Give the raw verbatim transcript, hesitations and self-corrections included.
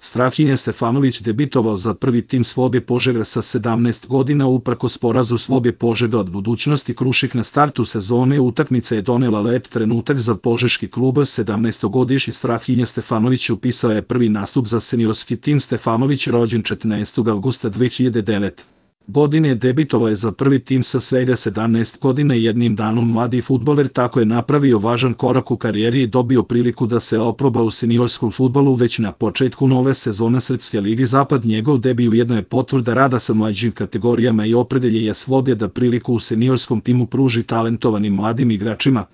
Strahinja Stefanović debitovao za prvi tim Slobe Požega sa sedamnaest godina uprkos porazu Slobe Požega od Budućnosti Krušik na startu sezone. Utakmica je donela lep trenutak za požeški klub. sedamnaestogodišnji Strahinja Stefanović upisao je prvi nastup za seniorski tim. Stefanović, rođen četrnaestog avgusta dve hiljade devete. godine, debitovao je za prvi tim sa svega sedamnaest godina i jednim danom. Mladi fudbaler tako je napravio važan korak u karijeri i dobio priliku da se oproba u seniorskom fudbalu već na početku nove sezone Srpske lige Zapad. Njegov debi ujedno je potvrda rada sa mlađim kategorijama i opredeljenja Slobe da priliku u seniorskom timu pruži talentovanim mladim igračima.